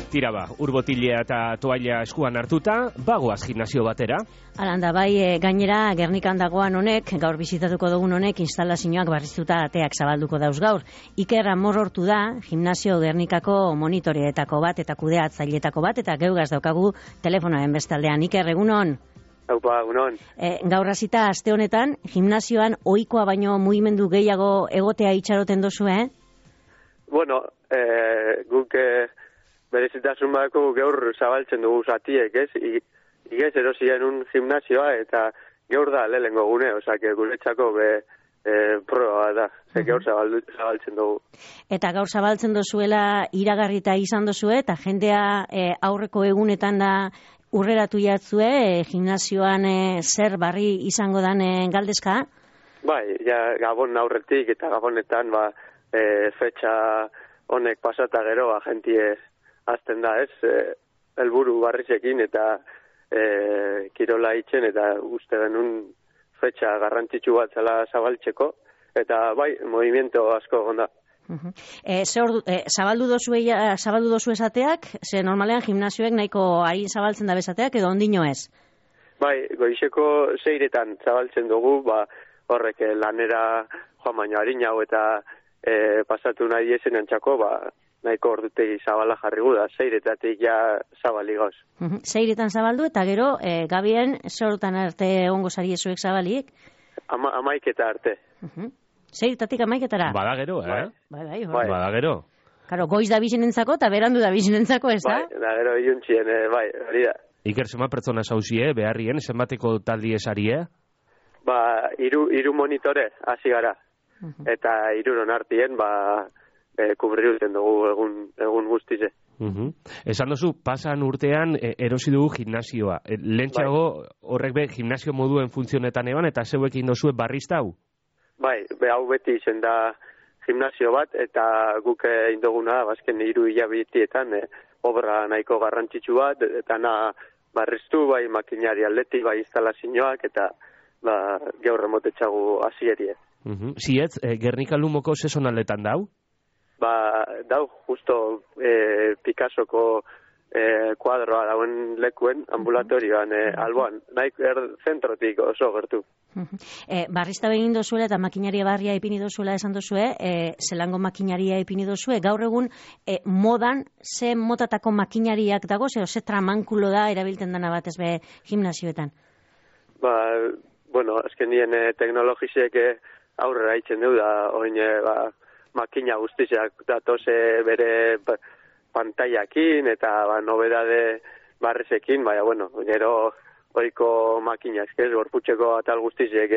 Tira ba, urbotilea eta toalla eskuan hartuta, bagoaz gimnasio batera. Alanda, bai, gainera, Gernikan dagoan honek, gaur bizitatuko dugun honek, instalazioak barriztuta ateak zabalduko dauz gaur. Iker Amorortu da, gimnasio Gernikako monitoreetako bat eta kudeatzailetako bat, eta geugaz daukagu telefonoen bestaldean. Iker, egunon? Haupa, egunon. Gaur hasita aste honetan, gimnasioan ohikoa baino mugimendu gehiago egotea itxaroten dozu, Bueno, guk berezitasun badako gaur zabaltzen dugu zatiek, ez? Igez erosien un gimnasioa eta gaur da lehengo gune, osea, guretzako proba da, gaur zabaltzen dugu. Eta gaur zabaltzen dozuela iragarrita izan dozue, eta jendea aurreko egunetan da urreratu jatzue, gimnasioan zer barri izango dan galdezka? Bai, ja, Gabon aurretik eta Gabonetan, fetxa honek pasata gero, agentie azten da, ez? Helburu barrizekin eta kirola itzen, eta uste genuen fetxa garrantzitsu bat zela zabaltzeko, eta bai, movimiento asko gonda. Zabaldu dozu esateak, ze normalean gimnasioek nahiko harin zabaltzen da bezateak, edo ondino ez? Bai, goizeko 6etan zabaltzen dugu, horrek lanera joan baino harinau eta pasatu nahi esen antxako, nahiko ordutegi zabala jarri gu da, 6etatik ja zabali goz. 6etan zabaldu, eta gero, Gabien, zorotan arte ongo zariezuek zabaliek? 11 arte. 6etatik 11etara? Bada gero, Bai. Bada gero. Karo, goiz da bizinentzako eta berandu da bizinentzako, ez da? Bai, da gero iluntzien, hori da. Iker, zenbat pertsona zauzie, beharrien, zenbateko taldi esarie? Hiru monitore, hasi gara. Eta hiruron artien, kubriruten dugu egun guztize. Esan dozu, pasan urtean erosi dugu gimnasioa. Lentsago horrek gimnasio moduen funtzionetan eban, eta zeuekin dozue barrizta hau? Bai, hau beti izen da gimnasio bat, eta guk induguna, bazken 3 hilabetietan, obra nahiko garrantzitsu bat, eta barriztu, bai makinari aldeti, bai instalazioak, eta gaur remotetxagu hasierie. Zietz, Gernika Lumoko sezonaletan dau? Dau, justo Picassoko kuadroa dauen lekuen ambulatorioan, alboan, nahi zentrotik oso gertu. Barrizta begin dozuela eta makinaria barria ipini dozuela esan dozue, zelango makinaria ipini dozue, gaur egun modan ze motatako makinariak dago, ze tramankulo da erabiltzen dana batez be gimnasioetan? Bueno, azken nien teknologizek aurrera itzen du da, oin makina guztiak datoze bere pantaiakin eta nobedade barrezekin, bueno, gero oiko makina, eskez, gorputxeko atal guztiak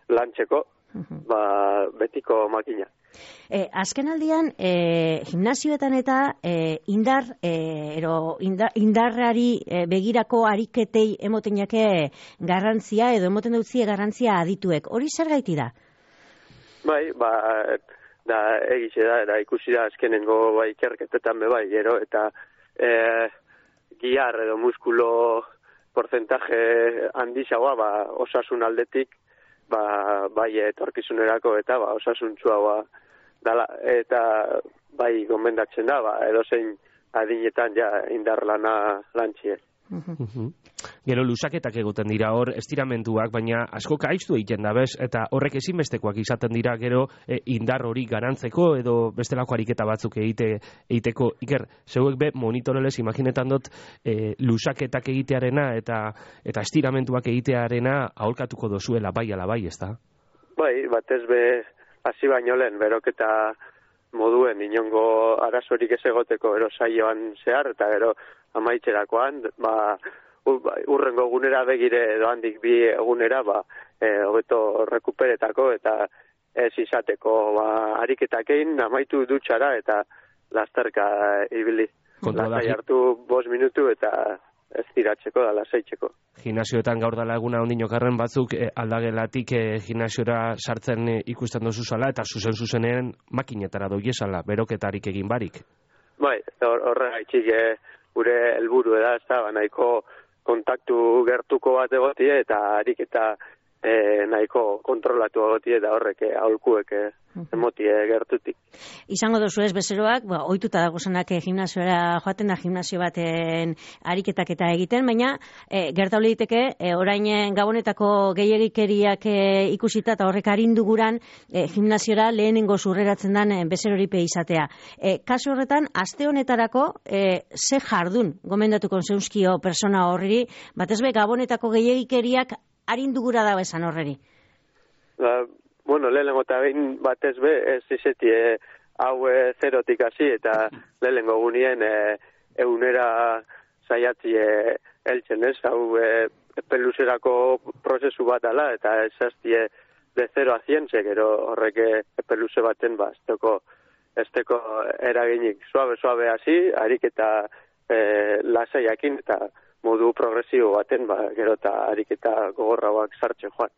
lantzeko, betiko makina. Azken aldian, gimnasioetan eta indarrari begirako ariketei emoten jake garrantzia, edo emoten dutzie garrantzia adituek. Hori zer gaiti da? Bai, da egize da, eta ikusi da azkenengo ikerketetan gero, eta giar edo muskulo porcentaje handizagoa, osasun aldetik, bai etorkizunerako eta osasuntsua dala, eta bai gomendatzen da, edozein adinetan indar lana lantzie. Gero lusaketak egoten dira hor, estiramentuak, baina asko kaiztu egiten da, bez? Eta horrek ezinbestekoak izaten dira gero indar hori garantzeko edo bestelako ariketa batzuk egiteko. Iker, zeuek monitoreles imaginetan dut lusaketak egitearena eta estiramentuak egitearena aholkatuko dozuela bai ala bai, ez da? Bai, batez hasi baino lehen, beroketa moduen inongo arazorik ez egoteko ero saioan zehar, eta gero amaitzerakoan, urrengo egunera begire edo handik 2 egunera, hobeto rekuperetako eta ez izateko ariketakein amaitu dutxara eta lasterka ibili. Lastai hartu 5 minutu eta ez tiratzeko da lasaitzeko. Gimnasioetan gaur dala eguna ondinokarren batzuk aldagelatik gimnasiora sartzen ikusten dozu zala eta zuzen-zuzenen makinetara doiesala, beroketarik egin barik. Bai, horregaitzik gure helburu da, ez da, nahiko kontaktu gertuko bat egotie eta ariketa nahiko kontrolatu agotie da horrek aholkuek emotie gertutik. Izango dozu ez bezeroak, ohituta dagozenak gimnasiora joaten da gimnasio baten ariketak eta egiten, baina gerta liteke orain gabonetako gehiegikeriak ikusita eta horrek arinduguran gimnasiora lehenengo zurreratzen den bezeroripe izatea. Kasu horretan, aste honetarako ze jardun gomendatuko zeuzkio persona horri, batezbe gabonetako gehiegikeriak arindugura da esan horreri? Bueno, lehenengo eta behin batez be, ez izetie hau zerotik hasi eta lehenengo gunien eunera saiatzi heltzen ez, hau epeluzerako prozesu bat ala eta esaztie de 0 a 100, gero horrek epeluze baten ez teko eraginik suabe hasi, harik eta lasaiakin eta modu progresibo baten, gero eta ariketa gogorrauak sartzen joan.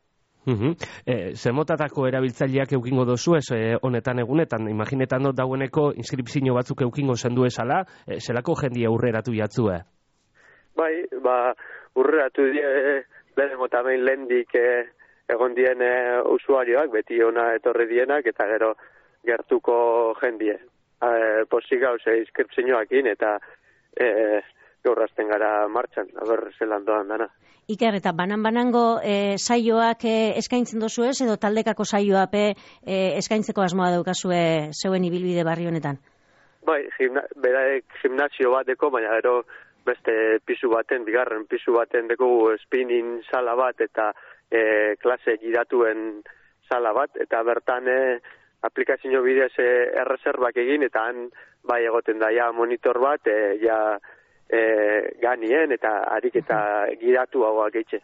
Zemotatako erabiltzaileak eukingo dozu ez honetan egunetan, imaginetan dut daueneko inskripzio batzuk eukingo zendu esala, zelako jendia aurreratu jatzue? Bai, urreratu lehenengo eta behin lehendik egon dien usuarioak, beti ona etorri dienak, eta gero gertuko jendie. Posik gauze inskripzioakin eta gaur hasten gara martxan, aber zelan doan dana. Iker, eta banan-banango saioak eskaintzen dozu ez, edo taldekako saioak eskaintzeko asmoa daukazue zeuen ibilbide barri honetan? Bai, beraek gimnasio bateko, baina gero beste pisu baten, bigarren pisu baten deko spinning sala bat eta klase giratuen sala bat, eta bertan aplikazio bidez erreserbak egin, eta han bai egoten da ja monitor bat, ganien eta harik eta giratu hauak eitxe.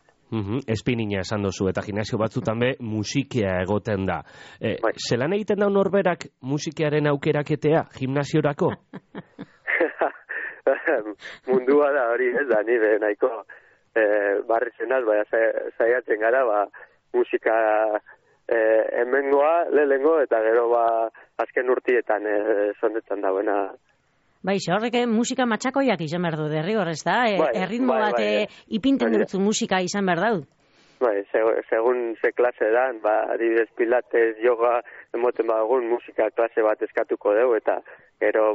Espinina esan dozu, eta gimnasio batzutan be musikia egoten da. Zelan egiten da norberak musikearen aukeraketea gimnasiorako? Mundua da hori ez da, nire nahiko barrizenaz, zaiatzen gara, musika hemengoa, lehengo, eta gero azken urtietan zondetan dauena. Bai, horrek musika matxakoiak izan behar du, derrigor, ez da? Erritmo bat ipinten dutzu musika izan behar dut. Bai, segun ze klase dan, adibidez pilates, yoga, emoten bagun musika klase bat eskatuko dugu, eta gero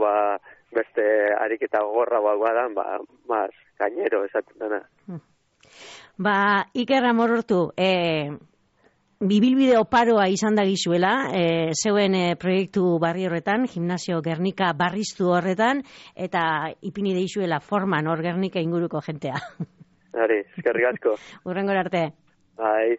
beste ariketa gogorra badan, maz gainero esaten dena. Iker Amorortu, bibilbide oparoa izan da gizuela, zeuen proiektu barri horretan, Gimnasio Gernika barriztu horretan, eta ipini deizuela forman hor Gernika inguruko jentea. Eskerrik asko. Hurrengora arte. Bai.